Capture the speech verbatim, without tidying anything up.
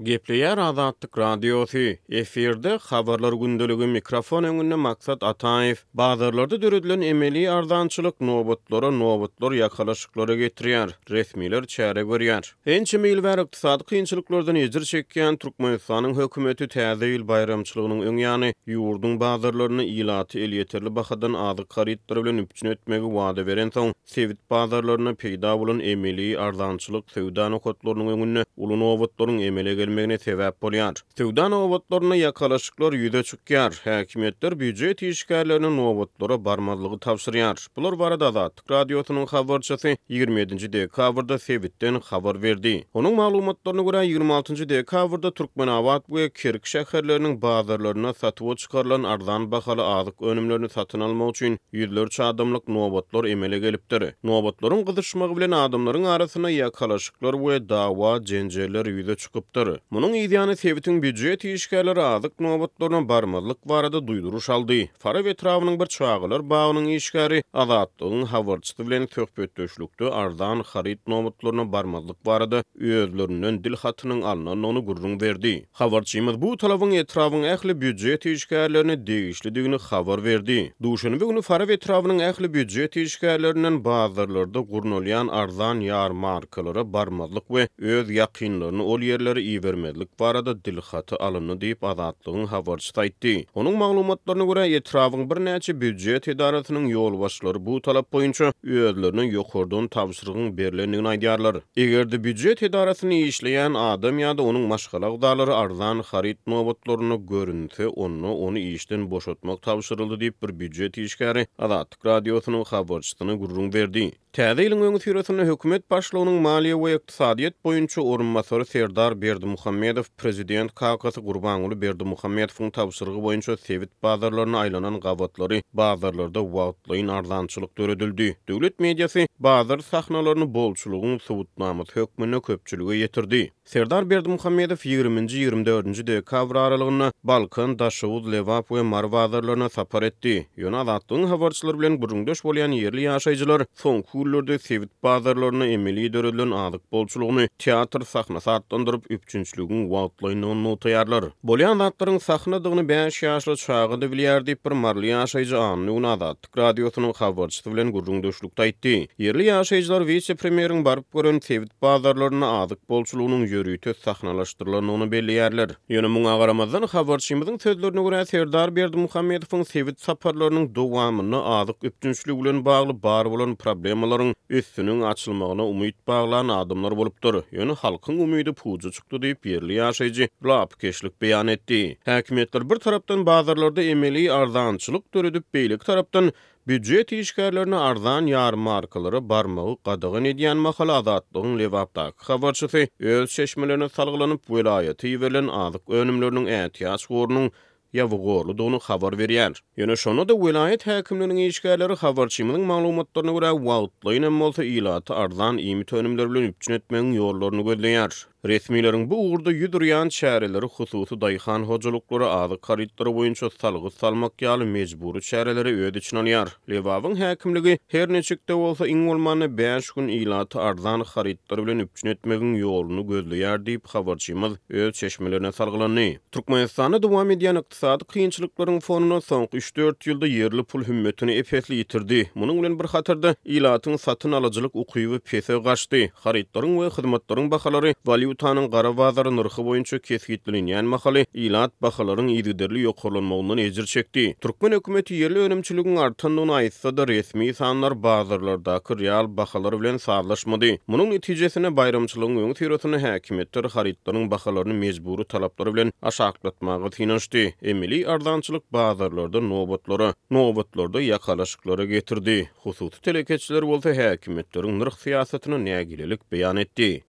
Gepleýär Azatlyk Radiosy, efirde Habarlar gündeligi, mikrofon öňünde Maksat Ataýew. Bazarlarda döredilen emeli arzançylyk nobatlara nobatlar ýakalaşyklara getirýär, resmiler çäre görýär. Ençeme ýyl bäri ykdysady kynçylyklardan ejir çekýän Türkmenistanyň hökümeti Täze ýyl baýramçylygynyň öň ýany ýurduň bazarlaryny ilaty elýeterli bahadan azyk harytlary bilen üpjün etmegi wada berensoň, sebit bazarlarynda peýda bolan emeli arzançylyk söwda nokatlarynyň öňünde uly nobatlaryň emele gelmegine sebäp bolýar. Söwda nobatlarynda ýakalaşyklar ýüze çykýar. Häkimiýetler býujet işgärlerine nobatlara barmazlygy tabşyrýar. Bular barada Azatlyk Radiosynyň habarçysy ýigrimi ýedinji dekabrda sebitden habar berdi. Onuň maglumatlaryna görä, ýigrimi altynjy dekabrda Türkmenabat we Kerki şäherleriniň bazarlarynda satuwa çykarylan arzan bahaly azyk önümlerini satyn almak üçin ýüzlerçe adamlyk nobatlar emele gelipdir. Nobatlaryň gyzyşmagy bilen adamlaryň arasynda ýakalaşyklar we dawa jenjeller ýüze çykypdyr. Munuň ýany sebitiň býujet işgärleri azyk nobatlaryna barmazlyk barada duýduryş aldy. Farap etrabynyň bir çagalar bagynyň işgäri Azatlygyň habarçysy bilen söhbetdeşlikde arzan haryt nobatlaryna barmazlyk barada özlerinden dil hatynyň alnandygyny gürrüň berdi. Habarçymyz bu talabyň etrabyň ähli býujet işgärlerine degişlidigini habar berdi. Duşenbe güni Farap etrabynyň ähli býujet işgärlerinden bazarlarda gurnalýan arzan ýarmarkalara barmazlyk we öz ýakynlaryny ol ýerlere ibermezlik barada dil haty alyndy diýip Azatlygyň habarçysy aýtdy. Onuň maglumatlaryna görä etrabyň birnäçe býujet edarasynyň ýolbaşçylary bu talap boýunça özlerine ýokardan tabşyrygyň berlendigini aýdýarlar. Eger-de býujet edarasyny işleýän adam ýa-da onuň maşgala agzalary arzan haryt nobatlaryna görünse, onda ony işden boşatmak tabşyryldy diýip bir býujet işgäri Azatlyk Radiosynyň habarçysyna gürrüň berdi. Täze ýylyň öňüsyrasynda hökümet başlygynyň maliýe we ykdysadyýet boýunça orunbasary Serdar Berdimuhamedow prezident kakasy Gurbanguly Berdimuhamedowyň tabşyrygy boýunça sebit bazarlaryna aýlanan gabatlary bazarlarda wagtlaýyn arzançylyk döredildi. Döwlet mediasy bazar sahnalaryny bolçulygyň subutnamasy hökmünde köpçülige ýetirdi. Serdar Berdimuhamedow ýigriminji ýigrimi dördünji dekabr aralygynda Balkan, Daşoguz, Lebap we Mary bazarlaryna sapar etdi. Ýöne Azatlygyň habarçylary bilen gürrüňdeş bolýan ýerli ýaşaýjylar soňky günlerde sebit bazarlaryna emeli döredilen azyk bolçulygyny teatr sahnasy atlandyryp üpjünçiligiň wagtlaýynlygyny nygtaýarlar. Bolýan zatlaryň sahnadygyny bäş ýaşly çaga da bilýär diýip bir maryly ýaşaýjy anna güni Azatlyk Radiosynyň habarçysy bilen gürrüňdeşlikde aýtdy. Ýerli ýaşaýjylar wise-premýeriň baryp gören sebit bazarlaryna azyk bolçulygynyň ýörite sahnalaşdyrylandygyny belleýärler. Ýöne muňa garamazdan habarçymyzyň sözlerine görä Serdar Berdimuhamedowyň sebit saparlarynyň dowamynda azyk üpjünçiligi bilen bagly bar bolan problemalaryň üstüniň açylmagyna umyt baglan adamlar bolupdyr. Ýöne halkyň umydy puja çykdy diýip ýerli ýaşaýjy lapykeçlik beýan etdi. Häkimiýetler bir tarapdan bazarlarda emeli arzançylyk döredip, beýleki tarapdan býujet işgärlerine arzan ýarmarkalara barmagy gadagan edýän mahaly Azatlygyň Lebapdaky habarçysy öz çeşmelerine salgylanyp welaýata iberilen azyk önümleriniň ätiýaç gorunyň ýabygorludygyny habar berýär. Ýöne şonda-da welaýat häkimliginiň işgärleri habarçymyzyň maglumatlaryna görä wagtlaýyn hem bolsa ilaty arzan iýmit önümleri bilen üpjün etmegiň ýollaryny gözleýär. Resmileriň bu ugurda ýüz urýan çäreleri hususy daýhan hojalyklary azyk harytlary boýunça salgyt salmak ýaly mejbury çäreleri öz içine alýar. Lebabyň häkimligi her niçik-de bolsa iň bolmanda bäş gün ilaty arzan harytlar bilen üpjün etmegiň ýoluny gözleýär diýip habarçymyz öz çeşmelerine salgylandy. Türkmenistanda dowam edýän ykdysady kynçylyklaryň fonunda soňky üç dört ýylda ýerli pul hümmetini ep-esli ýitirdi. Munuň bilen bir hatarda ilatyň satyn alyjylyk ukyby pese gaçdy. Harytlaryň we hyzmatlaryň bahalary walýutanyň gara bazary nyrhy boýunça kesgitlenýän mahaly ilat bahalaryň yzygiderli ýokarlanmagyndan ejir çekdi. Türkmen hökümeti ýerli önümçiligiň artandygyny aýtsa-da resmi sanlar bazarlardaky real bahalar bilen sazlaşmady. Munuň netijesinde baýramçylygyň öňüsyrasynda häkimiýetler harytlaryň bahalaryny mejbury talaplary bilen aşaklatmaga synanyşdy. Emeli arzançylyk bazarlarda nobatlara, nobatlarda ýakalaşyklara getirdi. Hususy telekeçiler bolsa häkimiýetleriň nyrh syýasatyna nägilelik beýan etdi.